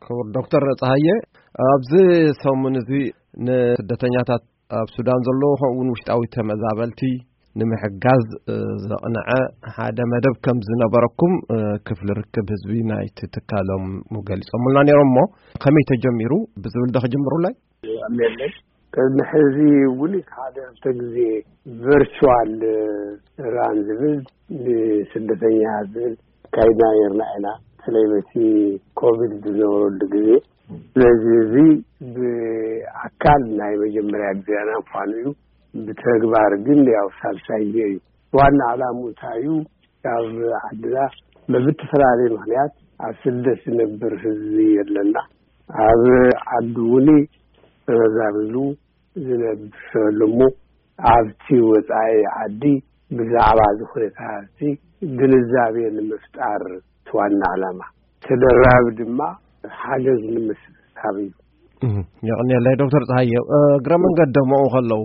ክቡር ዶክተር ጸሃየ፣ ኣብዚ ሰሙን እዚ ንስደተኛታት ኣብ ሱዳን ዘለዉ፣ ከምኡ እውን ውሽጣዊ ተመዛበልቲ ንምሕጋዝ፣ እ፣ ዘቕንዐ ሓደ መደብ ከም ዝነበረኩም፣ እ፣ ክፍሊ ርክብ ህዝቢ ናይቲ ትካሎም ገሊጾምልና ነይሮም። እሞ ከመይ ተጀሚሩ ብዝብል ዶ ክጅምሩለይ? ኣሜለይ። ቅድሚ ሕዚ እውን ሓደ ክልተ ግዜ ቨርቹዋል ራን ዝብል ንስደተኛ ዝብል ካይድና ነርና ኢና። በተለይ በቲ ኮቪድ ዝነበረሉ ግዜ። ስለዚ እዚ ብኣካል ናይ መጀመርያ ግዜና ምዃኑ እዩ። ብተግባር ግን ያው ሳልሳይ ግዜ እዩ። ዋና ዕላምኡ እንታይ እዩ? ካብ ዓድና በብተፈላለየ ምኽንያት ኣብ ስደት ዝነብር ህዝቢ ኣለና። ኣብ ዓዲ እውን ተመዛቢሉ ዝነብር ኣሎ እሞ ኣብቲ ወፃኢ ዓዲ ብዛዕባ እዚ ኩነታት እዚ ግንዛቤ ንምፍጣር እቲ ዋና ዕላማ። ተደራቢ ድማ ሓገዝ ንምስብሳብ እዩ። እህ፣ የቐንየለይ ዶክተር ጸሃየ። እ፣ እግረ መንገዶም ኣብኡ ከለዉ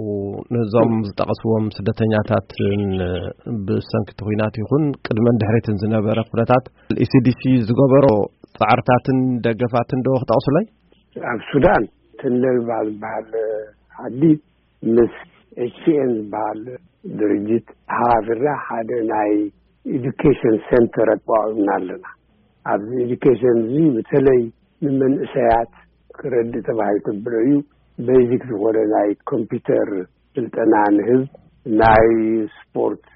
ነዞም ዝጠቐስዎም ስደተኛታትን ብሰንኪ እቲ ኲናት ይኹን ቅድመን ድሕሪትን ዝነበረ ኩነታት ኢሲዲሲ ዝገበሮ ጻዕርታትን ደገፋትን ዶ ክጠቕሱለይ? ኣብ ሱዳን ተንደግባ ዝበሃል ዓዲ ምስ ኤች ቲ ኤን ዝበሃል ድርጅት ተሓባቢርና ሓደ ናይ ኤዱኬሽን ሴንተር ኣቋቒምና ኣለና። ኣብዚ ኤዱኬሽን እዚ በተለይ ንመንእሰያት ክረድእ ተባሂሉ ተብሎ እዩ። ቤዚክ ዝኾነ ናይ ኮምፒውተር ስልጠና ንህብ፣ ናይ ስፖርት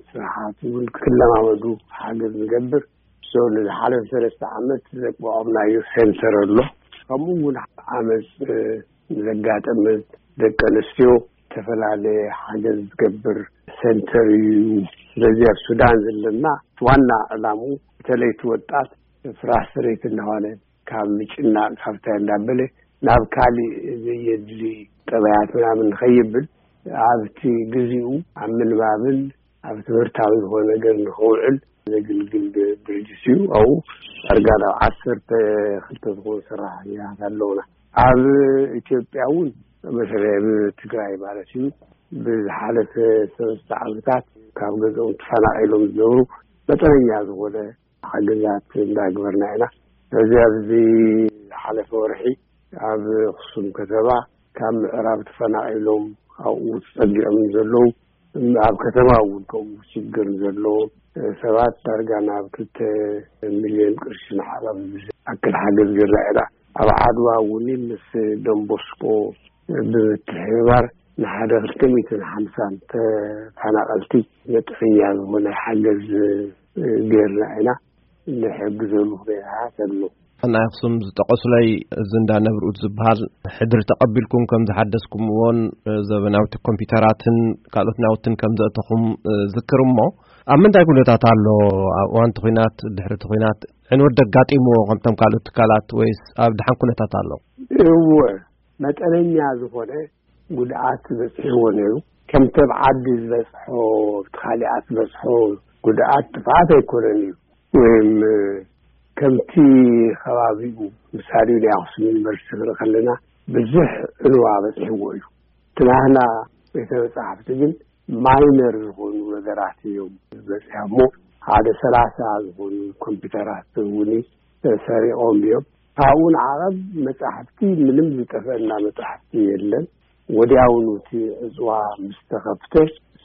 ስራሓት እውን ክለማመዱ ሓገዝ ንገብር። ሶ ንዝሓለፈ ሰለስተ ዓመት ዘቋቋምናዮ ሴንተር ኣሎ። ከምኡ እውን ዓመፅ ዘጋጠመ ደቂ ኣንስትዮ ዝተፈላለየ ሓገዝ ዝገብር ሴንተር እዩ። ስለዚ ኣብ ሱዳን ዘለና ዋና ዕላሙ በተለይ እቲ ወጣት ፍራስትሬት እናኾነ ካብ ምጭናቕ ካብታ እንዳበለ ናብ ካሊእ ዘየድሊ ጠባያት ምናምን ንኸይብል ኣብቲ ግዚኡ ኣብ ምንባብን ኣብ ትምህርታዊ ዝኾነ ነገር ንኸውዕል ዘግልግል ድርጅት እዩ። ኣብኡ ዳርጋ ናብ ዓሰርተ ክልተ ዝኾኑ ሰራሕተኛታት ኣለውና። ኣብ ኢትዮጵያ እውን በተለይ ኣብ ትግራይ ማለት እዩ ብዝሓለፈ ሰለስተ ዓመታት ካብ ገዝኦም ተፈናቒሎም ዝነብሩ መጠነኛ ዝኾነ ሓገዛት እንዳግበርና ኢና። ስለዚ ኣብዚ ዝሓለፈ ወርሒ ኣብ ኣኽሱም ከተማ ካብ ምዕራብ ተፈናቒሎም ኣብኡ ተጸጊዖም ዘለዉ፣ ኣብ ከተማ እውን ከምኡ ሽግር ዘለዎም ሰባት ዳርጋ ናብ ክልተ ሚልዮን ቅርሺ ንሓቐብ ዝኣክል ሓገዝ ጌርና ኢና። ኣብ ዓድዋ እውን ምስ ዶንቦስኮ ብምትሕብባር ንሓደ ክልተ ሚእትን ሓምሳን ተፈናቐልቲ መጠነኛ ዝኾነ ሓገዝ ጌርና ኢና። ንሕግዘሉ ኩነታት ኣሎ። ናይ ኣኽሱም ዝጠቐሱለይ፣ እዚ እንዳ ነብርኡት ዝበሃል ሕድሪ ተቐቢልኩም ከም ዝሓደስኩምዎን፣ እ፣ ዘበናዊቲ ኮምፒውተራትን ካልኦት ናውትን ከም ዘእተኹም፣ እ፣ ዝክር እሞ፣ ኣብ ምንታይ ኩነታት ኣሎ? ኣብ እዋን እቲ ኲናት፣ ድሕሪ እቲ ኲናት ዕንወት ደጋጢምዎ ከምቶም ካልኦት ትካላት ወይስ ኣብ ደሓን ኩነታት ኣሎ? እወ፣ መጠነኛ ዝኾነ ጉድኣት በፂሕዎ ነይሩ። ከምቲ ኣብ ዓዲ ዝበፅሖ፣ ኣብቲ ካሊኣት ዝበፅሖ ጉድኣት ጥፍኣት ኣይኮነን እዩ። ወይም ከምቲ ከባቢኡ፣ ምሳሌ ናይ ኣኽሱም ዩኒቨርሲቲ ክንርኢ ከለና ብዙሕ ዕንዋ በፂሕዎ እዩ። እቲ ናህና ቤተ መጻሕፍቲ ግን ማይነር ዝኾኑ ነገራት እዮም ዝበፅሖሞ። ሓደ ሰላሳ ዝኾኑ ኮምፒውተራት እውን ተሰሪቖም እዮም። ካብኡ ንዓቐብ መጻሕፍቲ ምንም ዝጠፍአና መጻሕፍቲ የለን። ወዲያውኑ እቲ ዕፅዋ ምስ ተኸፍተ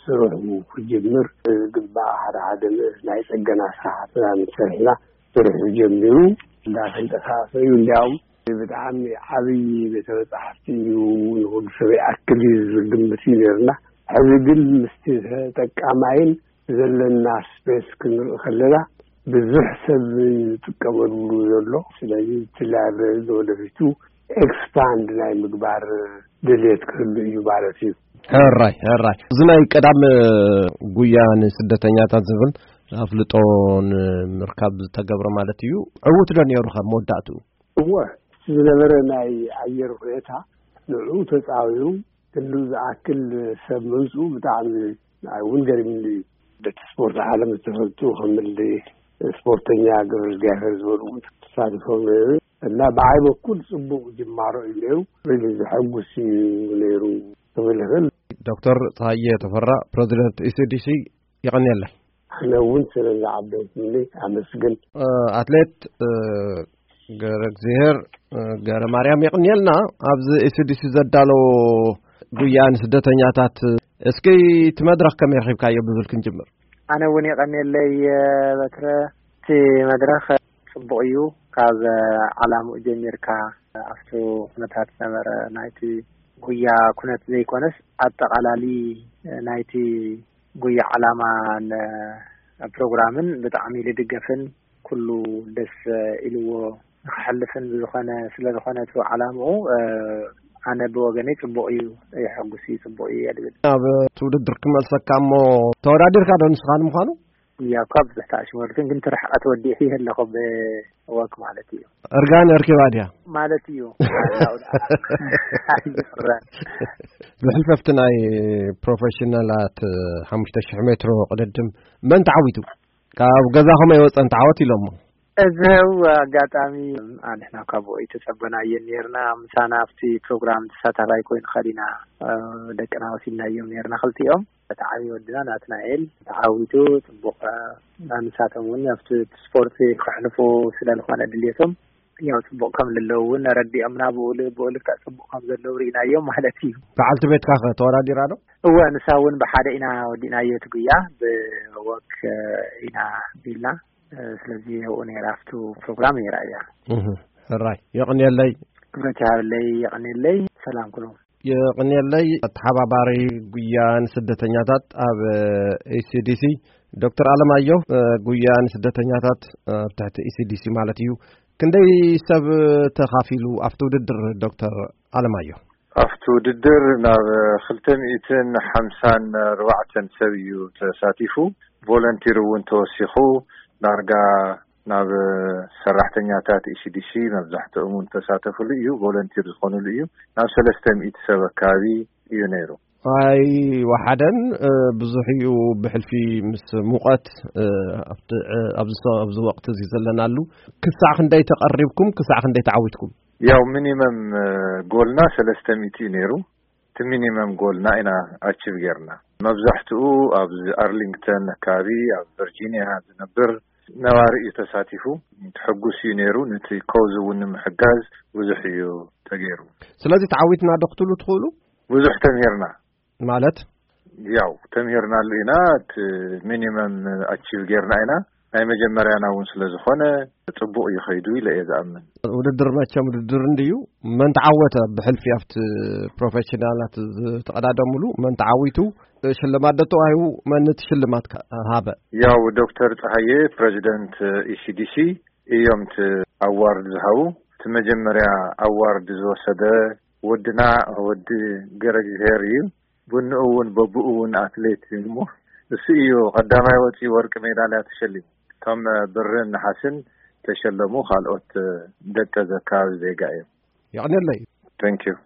ስርሑ ክጅምር ዝግባእ ሓደ ሓደ ናይ ፅገና ስራሕትና ምስ ሰሪሕና ስርሑ ጀሚሩ እንዳተንቀሳቐሰ እዩ። እንዲያውም ብጣዕሚ ዓብዪ ቤተ መጻሕፍቲ እዩ፣ ንኹሉ ሰብ ይኣክል እዩ ዝብል ግምት እዩ ነይርና። ሕዚ ግን ምስቲ ተጠቃማይን ዘለና ስፔስ ክንርኢ ከለና ብዙሕ ሰብ ዝጥቀመሉ ዘሎ። ስለዚ እቲ ላይብረሪ ንወደፊቱ ኤክስፓንድ ናይ ምግባር ድልየት ክህሉ እዩ ማለት እዩ። ሕራይ፣ ሕራይ። እዚ ናይ ቀዳም ጉያ ንስደተኛታት ዝብል ኣፍልጦ ንምርካብ ዝተገብረ ማለት እዩ። ዕዉት ዶ ነይሩ ካብ መወዳእትኡ? እወ፣ እቲ ዝነበረ ናይ ኣየር ሁኔታ ንዕኡ ተጻዊሩ ክንድኡ ዝኣክል ሰብ ምምጽኡ ብጣዕሚ ንዓይ እውን ገሪሙኒ እዩ። በቲ ስፖርት ዓለም ዝተፈልጡ ከም እሊ ስፖርተኛ ገብረ እግዚኣብሔር ዝበሉ እውን ተሳቲፎም ነይሩ እና ብዓይ በኩል ጽቡቕ ጅማሮ እዩ ነይሩ። ሪሊ ዘሐጉስ እዩ ነይሩ ክብል ይኽእል። ዶክተር ጸሃየ ተፈራ፣ ፕረዚደንት ኢሲዲሲ፣ የቐንየለይ። ኣነ እውን ስለ ዝዓደምኩኒ ኣመስግን። እ፣ ኣትሌት፣ እ፣ ገረ እግዚኣብሔር፣ እ፣ ገረ ማርያም የቕንየልና። ኣብዚ ኤስዲሲ ዘዳሎ ጉያ ንስደተኛታት፣ እስኪ እቲ መድረኽ ከመይ ረኺብካዮ ብዝብል ክንጅምር። ኣነ እውን የቐንየለይ፣ እ፣ በትረ። እቲ መድረኽ ጽቡቕ እዩ። ካብ ዓላምኡ ጀሚርካ ኣብቲ ኩነታት ዝነበረ ናይቲ ጉያ ኩነት ዘይኮነስ ኣጠቓላሊ ናይቲ ጉያ ዓላማን ፕሮግራምን ብጣዕሚ ልድገፍን ኩሉ ደስ ኢልዎ ንክሕልፍን ብዝኾነ ስለ ዝኾነ እቲ ዓላምኡ፣ እ፣ ኣነ ብወገነይ ጽቡቕ እዩ፣ የሐጉስ እዩ፣ ጽቡቕ እዩ እየ ድብል። ኣብ እቲ ውድድር ክመልሰካ እሞ ተወዳዲርካ ዶ ንስኻ ንምዃኑ? እያ እኳ ብዙሕ ተኣሽመልክን ግን ትርሕቀት ወዲሕ ይህለኹ ብወክ ማለት እዩ። እርጋን እርኪባ ድያ? ማለት እዩ። ኣይፍረን። ብሕልፈፍቲ ናይ ፕሮፌሽናላት ሓሙሽተ ሽሕ ሜትሮ ቅድድም መን ተዓዊቱ? ካብ ገዛኹም ኣይወፀን ተዓወት ኢሎሞ። እዚ ው ኣጋጣሚ ኣንሕና ካብኡ ኣይተጸበናየን ነርና። ምሳና ኣብቲ ፕሮግራም ተሳታፋይ ኮይኑ ከዲና፣ እ፣ ደቅና ወሲድናዮም ነርና ክልቲኦም። እቲ ዓብዪ ወድና ናትናኤል ተዓዊቱ ጽቡቕ፣ እ፣ ንሳቶም እውን ኣብቲ ስፖርት ክሕልፉ ስለ ዝኾነ ድልየቶም ያው ጽቡቕ ከም ልለው እውን ረዲኦምና ብኡ ል-፣ ብኡ ልክዕ ጽቡቕ ከም ዘለዉ ርኢናዮም ማለት እዩ። በዓልቲ ቤትካ ኸ ተወዳዲራ ዶ? እወ፣ ንሳ እውን ብሓደ ኢና ወዲእናዮ እቲ ጉያ፣ ብወክ፣ እ፣ ኢና ቢልና። እ፣ ስለዚ ኣብኡ ነይራ፣ ኣብቱ ፕሮግራም ነይራ እያ። እህ፣ ሕራይ። የቕንየለይ። ክብረት ይሃበለይ፣ የቐንየለይ። ሰላም ኩሉ። የቕንየለይ። ኣተሓባባሪ ጉያ ንስደተኛታት ኣብ ኤስዲሲ ዶክተር ኣለማየሁ፣ እ፣ ጉያ ንስደተኛታት ኣብ ትሕቲ ኤስዲሲ ማለት እዩ። ክንደይ ሰብ ተኻፊሉ ኣብቲ ውድድር ዶክተር ኣለማየሁ? ኣብቲ ውድድር ናብ ክልተ ሚእትን ሓምሳን ኣርባዕተን ሰብ እዩ ተሳቲፉ። ቮለንቲር እውን ተወሲኹ ዳርጋ ናብ ሰራሕተኛታት ኢሲዲሲ መብዛሕትኦም እውን ተሳተፉሉ እዩ። ቮለንቲር ዝኾኑሉ እዩ። ናብ ሰለስተ ሚእቲ ሰብ ኣካባቢ እዩ ነይሩ። ኣይ ወሓደን፣ እ፣ ብዙሕ እዩ። ብሕልፊ ምስ ሙቐት፣ እ፣ ኣብቲ፣ እ፣ ኣብዚ ሰ-፣ ኣብዚ ወቕቲ እዚ ዘለናሉ ክሳዕ ክንደይ ተቐሪብኩም? ክሳዕ ክንደይ ተዓዊትኩም? ያው ሚኒመም፣ እ፣ ጎልና ሰለስተ ሚእቲ እዩ ነይሩ። እቲ ሚኒመም ጎልና ኢና ኣቺቭ ጌርና። መብዛሕትኡ ኣብዚ ኣርሊንግተን ኣካባቢ ኣብ ቨርጂኒያ ዝነብር ነባሪ እዩ ተሳቲፉ። ተሐጉስ እዩ ነይሩ። ነቲ ኮዝ እውን ንምሕጋዝ ብዙሕ እዩ ተገይሩ። ስለዚ ተዓዊትና ዶ ክትብሉ ትኽእሉ? ብዙሕ ተምሂርና። ማለት? ያው ተምሂርናሉ ኢና። እቲ ሚኒመም ኣቺቭ ጌርና ኢና። ናይ መጀመርያና እውን ስለ ዝኾነ ጽቡቕ እዩ ኸይዱ ኢለ እየ ዝኣምን። ውድድር መቸም ውድድር እንድዩ። መን ተዓወተ ብሕልፊ ኣብቲ ፕሮፌሽናላት ዝተቐዳደሙሉ መን ተዓዊቱ ሽልማት ዶ ተዋሂቡ? መን እቲ ሽልማት ከ-፣ ሃበ? ያው ዶክተር ጸሃየ ፕሬዚደንት ኢሲዲሲ እዮም እቲ ኣዋርድ ዝሃቡ። እቲ መጀመርያ ኣዋርድ ዝወሰደ ወድና ወዲ ገረግዚሄር እዩ። ብንኡ እውን በብኡ እውን ኣትሌት እዩ እሞ እሱ እዩ ቀዳማይ ወፂኡ ወርቂ ሜዳልያ ተሸሊሙ። እቶም ብርን ነሓስን ተሸለሙ ካልኦት ደቀ ዘካባቢ ዜጋ እዮም። የቕንየለይ። Thank you።